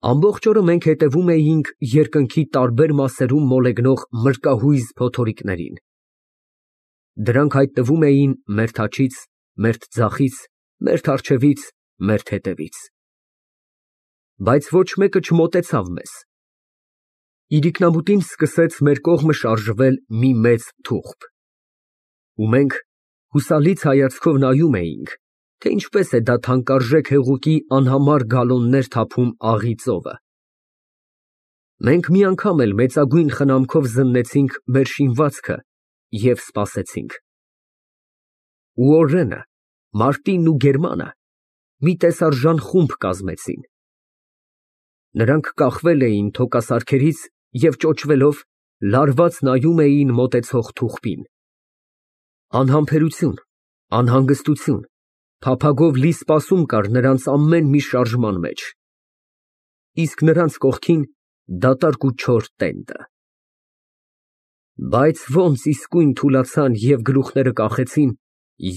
Ամբողջ օրը մենք հետևում էինք երկնքի տարբեր մասերում մոլեգնող մրրկահույզ փոթորիկներին. դրանք հայտնվում էին մերթ աջից, մերթ ձախից, մերթ առջևից, մերթ հետևից, բայց ոչ մեկը չմոտեցավ մեզ։ Իրիկնամուտին սկսեց մեր կողմը շարժվել մի մեծ թուղթ, ու մենք հուսալից հայացքով նայում էինք, թե ինչպես է դա թանկարժեք հեղուկի անհամար գալոններ թափում աղի ծովը։ Մենք մի անգամ էլ մեծագույն խնամքով զննեցինք մեր շինվածքը և սպասեցինք։ Ու Օրենը, Մարտինն ու Գերմանը մի տեսարժան խումբ կազմեցին։ Նրանք կախվել էին թոկասարքերից և ճոճվելով լարված նայում էին մոտեցող թուղթին։ Անհամբերություն, անհանգստություն, փափագով լի սպասում կար նրանց ամեն մի շարժման մեջ, իսկ նրանց կողքին դատարկ ու չոր տենդը։ Բայց ոնց իսկույն թուլացան և գլուխները կախեցին,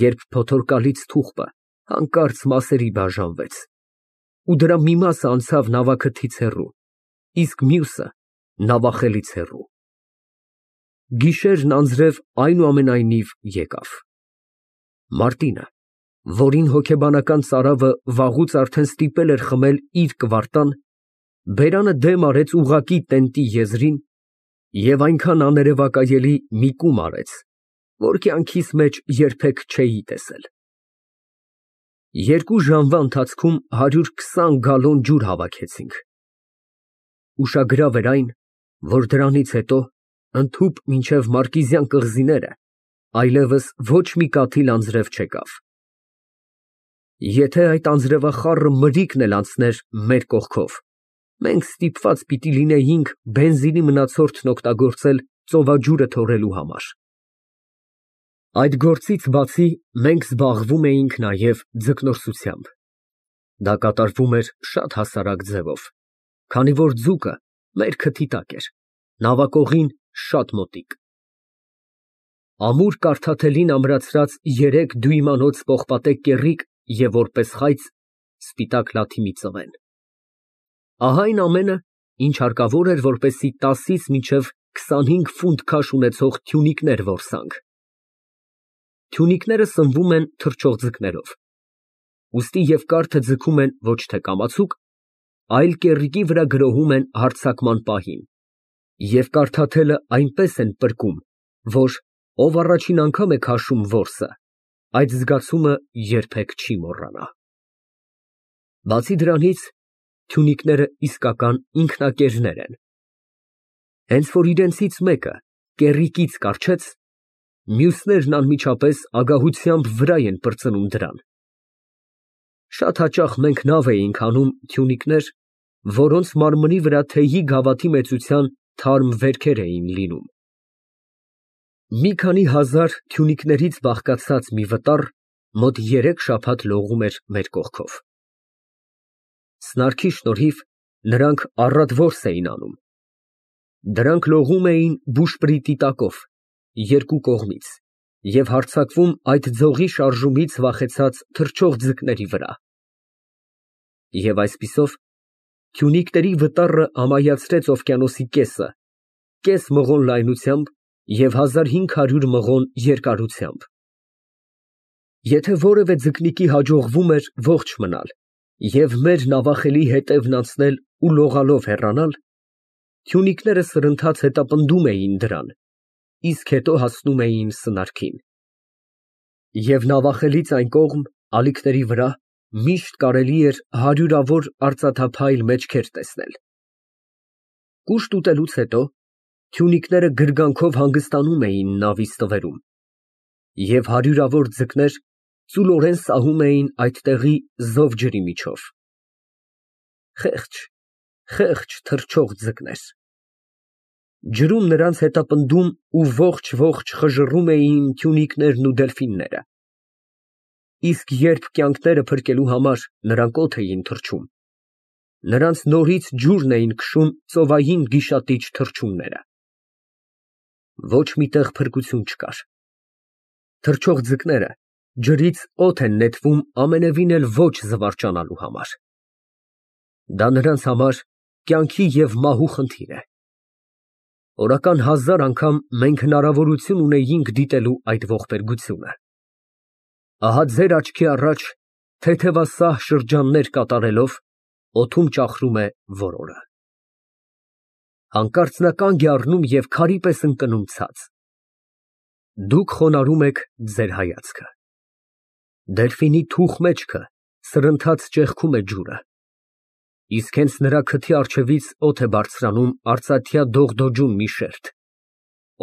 երբ փոթորկալից թուղթը հանկարծ մասերի բաժանվեց, ու դրա մի մասը անցավ նավաքթից հեռու, իսկ մյուսը նավախելից հեռու։ Գիշերն անձրև այնուամենայնիվ եկավ։ Մարտինը, որին հոգեբանական ծարավը վաղուց արդեն ստիպել էր խմել իր կվարտան, բերանը դեմ արեց ուղղակի տենտի եզրին և այնքան աներևակայելի մի կում արեց, որ կյանքիս մեջ երբեք չէի տեսել։ 2 ժամվա ընթացքում 120 գալոն ջուր հավաքեցինք։ Ուշագրավ էր այն, որ դրանից հետո, ընդհուպ մինչև Մարկիզյան կղզիները, այլևս ոչ մի կաթիլ անձրև չեկավ։ Եթե այդ անձրևախառը մրրիկն էլ անցներ մեր կողքով, մենք ստիպված պիտի լինեինք բենզինի մնացորդն օգտագործել ծովաջուրը թողելու համար։ Այդ գործից բացի մենք զբաղվում էինք նաև ձկնորսությամբ։ Դա կատարվում էր շատ հասարակ ձևով, քանի որ ձուկը մեր քթի տակ էր, նավակողին շատ մոտիկ։ Ամուր կարդաթելին ամրացրած 3 դույմանոց պողպատե կեռիկ և որպես խայծ սպիտակ լաթի մի ծվեն։ Ահա այն ամենը, ինչ հարկավոր էր, որպեսզի 10-ից մինչև 25 ֆունտ քաշ ունեցող թյունիկներ որսանք։ Թյունիկները սնվում են թռչող ձկներով, ուստի և կարթը ձգում են ոչ թե կամացուկ, այլ կեռիկի վրա գրոհում են հարձակման պահին, և կարդաթելը այնպես են պրկում, որ ով առաջին անգամ է քաշում որսը, այդ զգացումը երբեք չի մոռանա։ Բացի դրանից, թյունիկները իսկական ինքնակերներ են։ Հենց որ իրենցից մեկը կեռիկից կառչեց, մյուսներն անմիջապես ագահությամբ վրա են պրծնում դրան։ Շատ հաճախ մենք նավ էինք հանում թյունիկներ, որոնց մարմնի վրա թեյի գավաթի մեծության թարմ վերքեր էին լինում։ Մի քանի հազար թյունիկներից բաղկացած մի վտար մոտ 3 շաբաթ լողում էր մեր կողքով։ Սնարքի շնորհիվ նրանք առատ որս էին անում։ Դրանք լողում էին բուշպրիտի տակով, 2 կողմից, և հարձակվում այդ ձողի շարժումից վախեցած թռչող ձկների վրա։ Եվ այսպիսով, թյունիկների վտառը ամայացրեց օվկիանոսի կեսը, կես մղոն լայնությամբ և 1500 մղոն երկարությամբ։ Եթե որևէ ձկնիկի հաջողվում էր ողջ մնալ և մեր նավախելի հետևն անցնել ու լողալով հեռանալ, թյունիկները սրընթաց հետապնդում էին դրան, իսկ հետո հասնում էին սնարքին։ Եվ նավախելից այն կողմ, ալիքների վրա, միշտ կարելի էր հարյուրավոր արծաթափայլ մեջքեր տեսնել։ Կուշտ ուտելուց հետո թյունիկները գրգանքով հանգստանում էին նավի ստվերում, և հարյուրավոր ձկներ ծուլորեն սահում էին այդտեղի զով ջրի միջով։ Խեղճ, խեղճ թռչող ձկներ։ Ջրում նրանց հետապնդում ու ողջ խժռում էին թյունիկներն ու դելֆինները։ Իսկ երբ կյանքները փրկելու համար նրանք օդ էին թռչում, նրանց նորից ջուրն էին քշում ծովային գիշատիչ թռչունները։ Ոչ մի տեղ փրկություն չկար։ Թռչող ձկները ջրից օդ են նետվում ամենևին էլ ոչ զվարճանալու համար։ Դա նրանց համար կյանքի և մահու խնդիր է։ Օրական 1000 անգամ մենք հնարավորություն ունեինք դիտելու այդ ողբերգությունը։ Ահա ձեր աչքի առաջ թեթևասահ շրջաններ կատարելով օդում ճախրում է որորը։ Հանկարծ նա կանգ է առնում և քարի պես ընկնում ցած։ Դուք խոնարհում եք ձեր հայացքը։ Դելֆինի թուխ մեջքը սրընթաց ճեղքում է ջուրը, իսկ հենց նրա քթի առջևից օդ է բարձրանում արծաթյա դողդոջուն մի շերտ,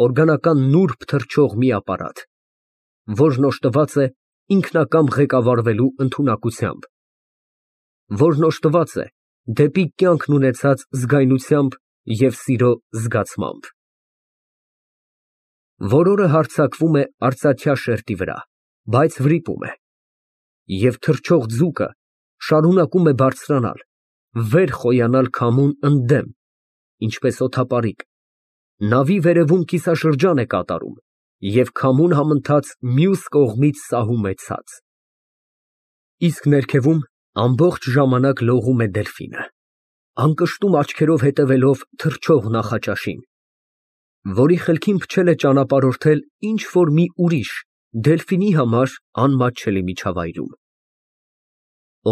օրգանական նուրբ թռչող մի ապարատ, որն օժտված է ինքնակամ ղեկավարվելու ընդունակությամբ, որն օժտված է դեպի կյանքն ունեցած զգայնությամբ և սիրո զգացմամբ։ Որորը հարձակվում է արծաթյա շերտի վրա, բայց վրիպում է, և թռչող ձուկը շարունակում է բարձրանալ, վեր խոյանալ քամուն ընդդեմ, ինչպես օդապարիկ, նավի վերևում կիսաշրջան է կատարում և քամուն համընթաց մյուս կողմից սահում է ցած։ Իսկ ներքևում ամբողջ ժամանակ լողում է դելֆինը, անկշտում աչքերով հետևելով թռչող նախաճաշին, որի խելքին փչել է ճանապարհորդել ինչ֊որ մի ուրիշ, դելֆինի համար անմատչելի միջավայրում։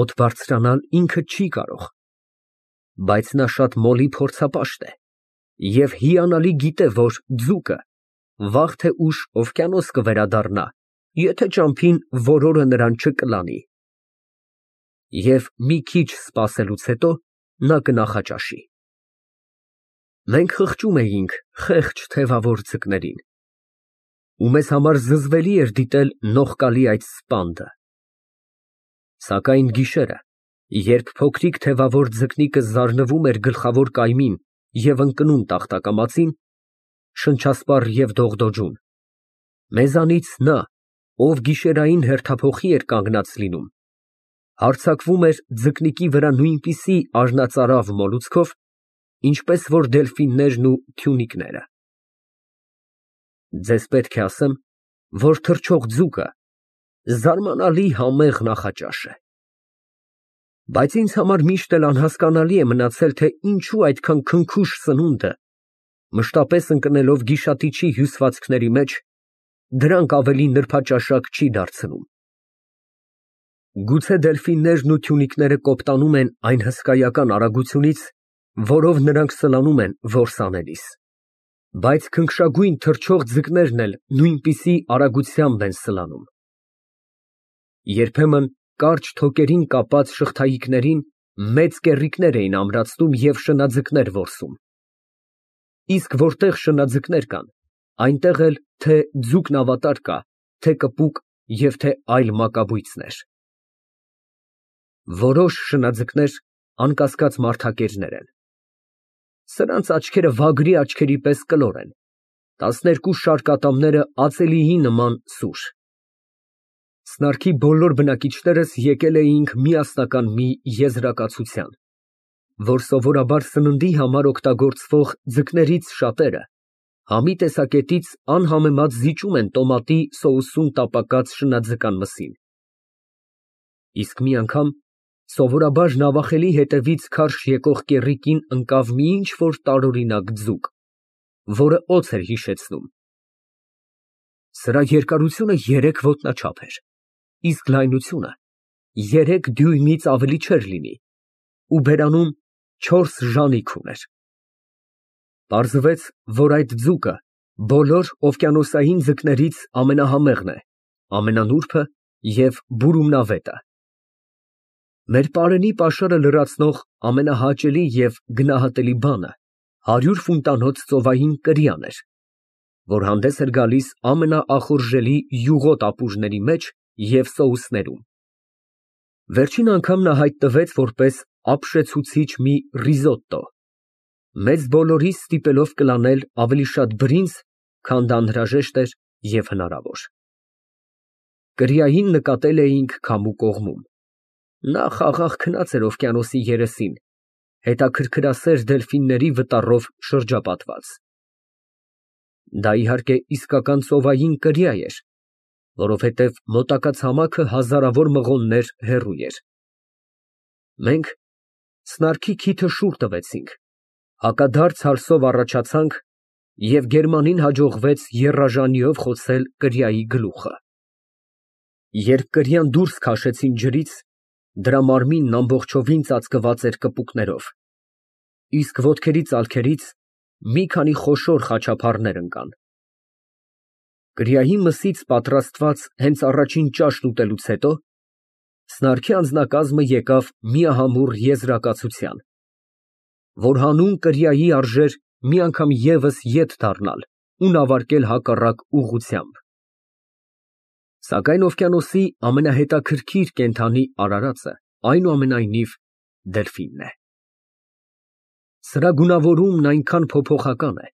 Օդ բարձրանալ ինքը չի կարող, բայց նա շատ մոլի փորձապաշտ է և հիանալի գիտե, որ ձուկը վաղ թե ուշ օվկիանոս կվերադառնա, եթե ճամփին որորը նրան չկլանի։ Եվ մի քիչ սպասելուց հետո նա կնախաճաշի։ Մենք խղճում էինք խեղճ թևավոր ձկներին, ու մեզ համար զզվելի էր դիտել նողկալի այդ սպանդը։ Սակայն գիշերը, երբ փոքրիկ թևավոր ձկնիկը զարնվում էր գլխավոր կայմին և ընկնում տախտակամածին, շնչասպառ և դողդոջուն, մեզանից նա, ով գիշերային հերթափոխի էր կանգնած լինում, հարձակվում էր ձկնիկի վրա նույնպիսի արհնածարավ մոլուցքով, ինչպես որ դելֆիններն ու թյունիկները։ Ձեզ պետք է ասեմ, որ թռչող ձուկը զարմանալի համեղ նախաճաշ է։ Բայց ինձ համար միշտ էլ անհասկանալի է մնացել, թե ինչու այդքան քնքուշ սնունդը, մշտապես ընկնելով գիշատիչի հյուսվածքների մեջ, դրանք ավելի նրբաճաշակ չի դարձնում։ Գուցե դելֆիններն ու թյունիկները կոպտանում են այն հսկայական արագությունից, որով նրանք սլանում են որս անելիս, բայց քնքշագույն թռչող ձկներն էլ նույնպիսի արագությամբ են սլանում։ Երբեմն կարճ թոկերին կապած շղթայիկներին մեծ կեռիկներ էին ամրացնում և շնաձկներ որսում։ Իսկ որտեղ շնաձկներ կան, այնտեղ էլ թե ձուկն ավատար կա, թե կպուկ և թե այլ մակաբույծներ։ Որոշ շնաձկներ անկասկած մարդակերներ են։ Սրանց աչքերը վագրի աչքերի պես կլոր են, 12 շարքատամները ածելիի նման սուր։ Սնարքի բոլոր բնակիչներս եկել էինք միասնական մի եզրակացության, որ սովորաբար սննդի համար օգտագործվող ձկներից շատերը համի տեսակետից անհամեմատ զիջում են տոմատի սոուսում տապակած շնաձկան մսին։ Իսկ մի անգամ սովորաբար նավախելի հետևից քարշ եկող կեռիկին ընկավ մի ինչ֊որ տարօրինակ ձուկ, որը օձ էր հիշեցնում։ Սրա երկարությունը 3 ոտնաչափ էր, իսկ լայնությունը 3 դյույմից ավելի չէր լինի ու բերանում 4 ժանիք ուներ։ Պարզվեց, որ այդ ձուկը բոլոր օվկիանոսային ձկներից ամենահամեղն է, ամենանուրբը և բուրումնավետը։ Մեր պարենի պաշարը լրացնող ամենահաճելի և գնահատելի բանը 100 ֆունտանոց ծովային կրիան էր, որ հանդես էր գալիս ամենաախորժելի յուղոտ ապուրների մեջ և սոուսներում։ Վերջին անգամ նա հայտնվեց որպես ապշեցուցիչ մի ռիզոտտո, մեծ բոլորիս ստիպելով կլանել ավելի շատ բրինձ, քան դա անհրաժեշտ էր և հնարավոր։ Կրիային նկատել էինք քամու կողմում։ Նա խաղաղ քնած էր օվկիանոսի երեսին, հետաքրքրասեր դելֆինների վտառով շրջապատված։ Դա իհարկե իսկական ծովային կրիա էր, որովհետև մոտակա ցամաքը հազարավոր մղոններ հեռու էր։ Մենք սնարքի քիթը շուռ տվեցինք Հակադարձ հալսով առաջացանք և Գերմանին հաջողվեց եռաժանիով խոցել կրիայի գլուխը։ Երբ կրիան դուրս քաշեցին ջրից, դրա մարմինն ամբողջովին ծածկված էր կպուկներով, իսկ ոտքերի ծալքերից մի քանի խոշոր խաչափառներ ընկան։ Կրիայի մսից պատրաստված հենց առաջին ճաշն ուտելուց հետո սնարքի անձնակազմը եկավ միահամուռ եզրակացության, որ հանուն կրիայի արժեր մի անգամ ևս ետ դառնալ ու նավարկել հակառակ ուղղությամբ։ Սակայն օվկիանոսի ամենահետաքրքիր կենդանի արարածը այնուամենայնիվ դելֆինն է։ Սրա գունավորումն այնքան փոփոխական է,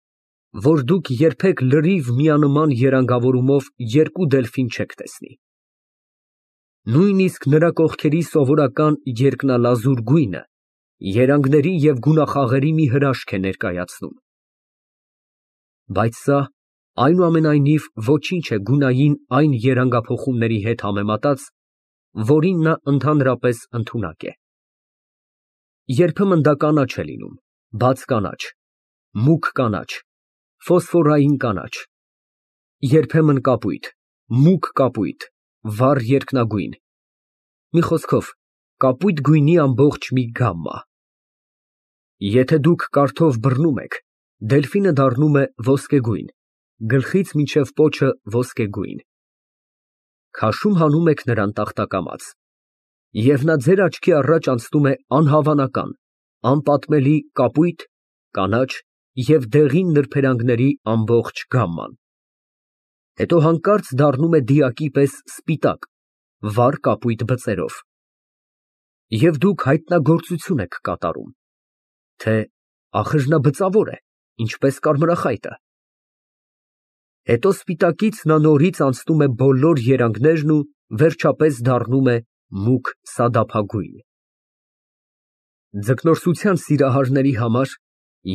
որ դուք երբեք լրիվ միանման երանգավորումով երկու դելֆին չեք տեսնի։ Նույնիսկ նրա կողքերի սովորական երկնալազուր գույնը երանգների և գունախաղերի մի հրաշք է ներկայացնում։ Բայց սա այնուամենայնիվ ոչինչ է գունային այն երանգափոխումների հետ համեմատած, որին նա ընդհանրապես ընդունակ է։ Երբեմն դա կանաչ է լինում, բաց կանաչ, մուգ կանաչ, ֆոսֆորային կանաչ, երբեմն կապույտ, մուգ կապույտ, վառ երկնագույն, մի խոսքով, կապույտ գույնի ամբողջ մի գամմա։ Եթե դուք կարթով բռնում եք, դելֆինը դառնում է ոսկեգույն, գլխից մինչև պոչը ոսկեգույն։ Քաշում հանում եք նրան տախտակամաց, և նա ձեր աչքի առաջ անցնում է անհավանական, անպատմելի կապույտ, կանաչ և դեղին նրբերանգների ամբողջ գամման։ Հետո հանկարծ դառնում է դիակի պես սպիտակ, վառ կապույտ բծերով։ Եվ դուք հայտնագործություն եք կատարում, թե ախր նա բծավոր է, ինչպես կարմրախայտը։ Հետո սպիտակից նա նորից անցնում է բոլոր երանգներն ու վերջապես դառնում է մուգ սադափագույն։ Ձկնորսության սիրահարների համար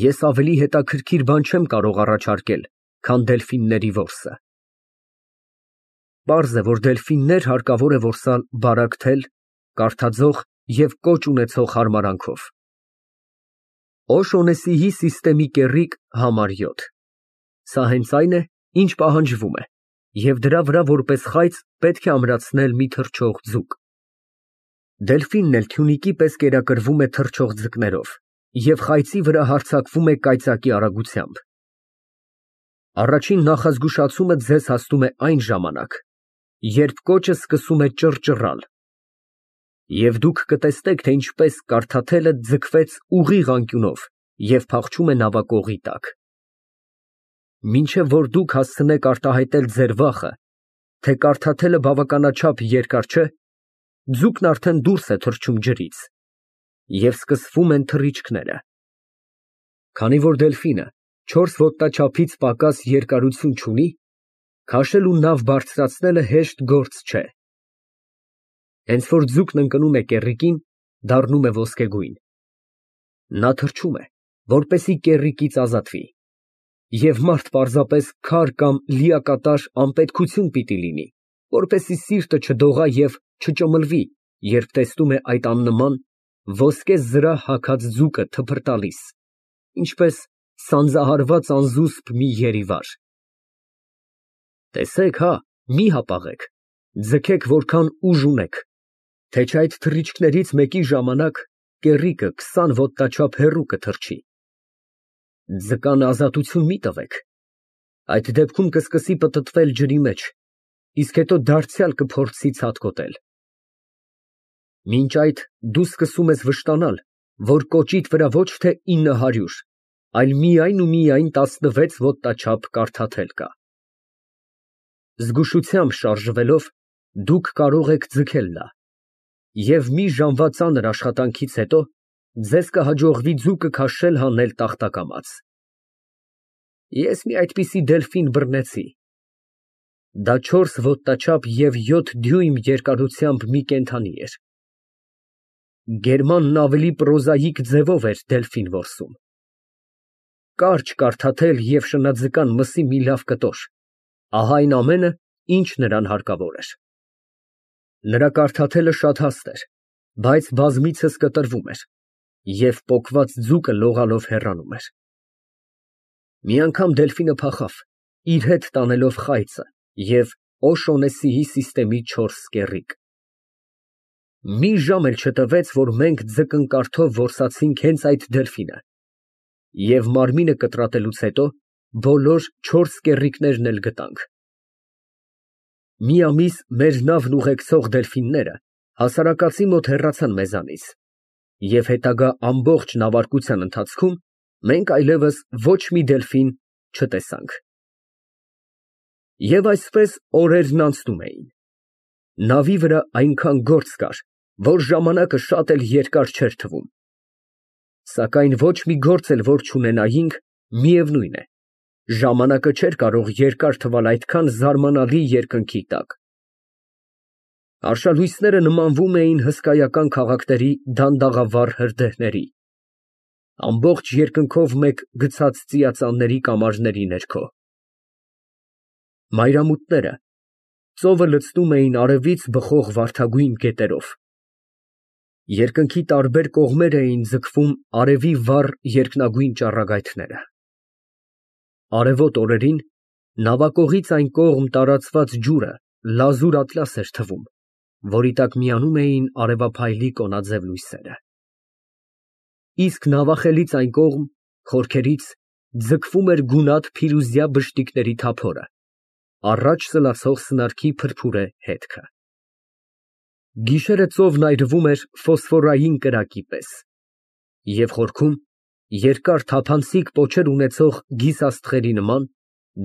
ես ավելի հետաքրքիր բան չեմ կարող առաջարկել, քան դելֆինների որսը։ Պարզ է, որ դելֆիններ հարկավոր է որսալ բարակ թել, կարդաձող և կոճ ունեցող հարմարանքով։ Օշոնեսիի սիստեմի կեռիկ ֊ համար 7։ Սա հենց այն է, ինչ պահանջվում է, և դրա վրա որպես խայծ պետք է ամրացնել մի թռչող ձուկ։ Դելֆինն էլ թյունիկի պես կերակրվում է թռչող ձկներով և խայծի վրա հարձակվում է կայծակի արագությամբ։ Առաջին նախազգուշացումը ձեզ հասնում է այն ժամանակ, երբ կոճը սկսում է ճռճռալ, և դուք կտեսնեք, թե ինչպես կարդաթելը ձգվեց ուղիղ անկյունով և փախչում է նավակողի տակ։ Մինչև որ դուք հասցնեք արտահայտել ձեր վախը, թե կարդաթելը բավականաչափ երկար չէ, ձուկն արդեն դուրս է թռչում ջրից, և սկսվում են թռիչքները։ Քանի որ դելֆինը 4 ոտնաչափից պակաս երկարություն չունի, քաշել ու նավ բարձրացնելը հեշտ գործ չէ։ Հենց որ ձուկն ընկնում է կեռիկին, դառնում է ոսկեգույն։ Նա թռչում է, որպեսզի կեռիկից ազատվի, և մարդ պարզապես քար կամ լիակատար անպետքություն պիտի լինի, որպեսզի սիրտը չդողա և չճմլվի, երբ տեսնում է այդ աննման, ոսկե զրահ հագած ձուկը թփրտալիս, ինչպես սանձահարված անզուսպ մի երիվար։ Տեսեք հա, մի հապաղեք, ձգեք որքան ուժ ունեք, թե չէ այդ թռիչքներից մեկի ժամանակ կեռիկը 20 ոտնաչափ հեռու կթռչի։ Ձկան ազատություն մի տվեք, այդ դեպքում կսկսի պտտվել ջրի մեջ, իսկ հետո դարձյալ կփորձի ցատկոտել։ Մինչ այդ դու սկսում ես վշտանալ, որ կոճիդ վրա ոչ թե 900, այլ միայն ու միայն 16 ոտնաչափ կարդաթել կա։ Զգուշությամբ շարժվելով դուք կարող եք ձգել նա, և մի ժամվա ծանր աշխատանքից հետո ձեզ կհաջողվի ձուկը քաշել հանել տախտակամաց։ Ես մի այդպիսի դելֆին բռնեցի։ Դա 4 ոտնաչափ և 7 դյույմ երկարությամբ մի կենդանի էր։ Գերմանն ավելի պրոզաիկ ձևով էր դելֆին որսում։ Կարճ կարդաթել և շնաձկան մսի մի լավ կտոր, ահա այն ամենը, ինչ նրան հարկավոր էր։ Նրա կարդաթելը շատ հաստ էր, բայց բազմիցս կտրվում էր, և պոկված ձուկը լողալով հեռանում էր։ Մի անգամ դելֆինը փախավ, իր հետ տանելով խայծը և Օշոնեսիի սիստեմի 4 կեռիկ։ Մի ժամ էլ չտևեց, որ մենք ձկնկարդով որսացինք հենց այդ դելֆինը, և մարմինը կտրատելուց հետո բոլոր 4 կեռիկներն էլ գտանք։ Մի ամիս մեր նավն ուղեկցող դելֆինները հասարակածի մոտ հեռացան մեզանից, և հետագա ամբողջ նավարկության ընթացքում մենք այլևս ոչ մի դելֆին չտեսանք։ Եվ այսպես օրերն անցնում էին։ Նավի վրա այնքան գործ կար, որ ժամանակը շատ էլ երկար չէր թվում։ Սակայն ոչ մի գործ էլ որ չունենայինք, միևնույն է, ժամանակը չէր կարող երկար թվալ այդքան զարմանալի երկնքի տակ։ Արշալույսները նմանվում էին հսկայական քաղաքների դանդաղավառ հրդեհների, ամբողջ երկնքով մեկ գցած ծիածանների կամարների ներքո։ Մայրամուտները ծովը լցնում էին արևից բխող վարդագույն գետերով։ Երկնքի տարբեր կողմեր էին ձգվում արևի վառ երկնագույն ճառագայթները։ Արևոտ օրերին նավակողից այն կողմ տարածված ջուրը լազուր ատլաս էր թվում, որի տակ միանում էին արևափայլի կոնաձև լույսերը։ Իսկ նավախելից այն կողմ, խորքերից, ձգվում էր գունատ փիրուզյա բշտիկների թափորը, առաջ սլացող սնարքի փրփուրե հետքը։ Գիշերը ծովն այրվում էր ֆոսֆորային կրակի պես, և խորքում, երկար թափանցիկ պոչեր ունեցող գիսաստղերի նման,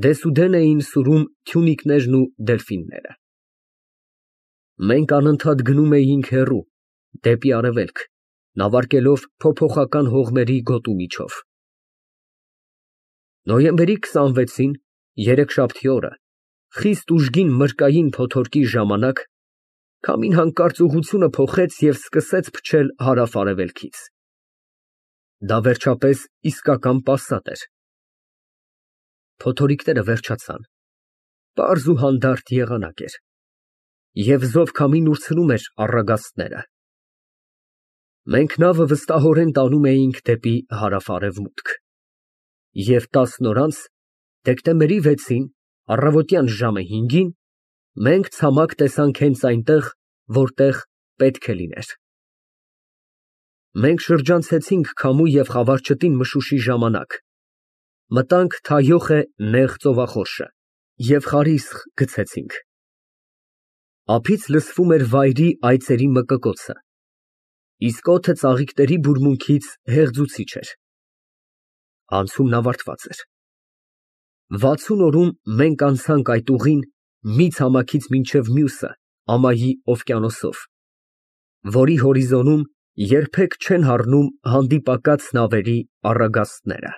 դեսուդեն էին սուրում թյունիկներն ու դելֆինները։ Մենք անընդհատ գնում էինք հեռու, դեպի արևելք, նավարկելով փոփոխական հողմերի գոտու միջով։ Նոյեմբերի 26-ին, երեքշաբթի օրը, խիստ ուժգին մրրկային փոթորկի ժամանակ, քամին հանկարծ ուղղությունը փոխեց և սկսեց փչել հարավ֊արևելքից։ Դա վերջապես իսկական պասատ էր։ Փոթորիկները վերջացան, պարզ ու հանդարտ եղանակ էր, և զով քամին ուրցնում էր առագաստները։ Մենք նավը վստահորեն տանում էինք դեպի հարավ֊արևմուտք, և 10 օր անց, դեկտեմբերի 6-ին, առավոտյան ժամը 5-ին, մենք ցամաք տեսանք հենց այնտեղ, որտեղ պետք է լիներ։ Մենք շրջանցեցինք քամու և խավարչտին մշուշի ժամանակ, մտանք Թայոխե նեղ ծովախորշը և խարիսխ գցեցինք։ Ափից լսվում էր վայրի այծերի մկկոցը, իսկ օդը ծաղիկների բուրմունքից հեղձուցիչ էր։ Անցումն ավարտված էր։ 60 օրում մենք անցանք այդ ուղին մի ցամաքից մինչև մյուսը ամայի օվկիանոսով, որի հորիզոնում երբեք չեն հառնում հանդիպակաց նավերի առագաստները։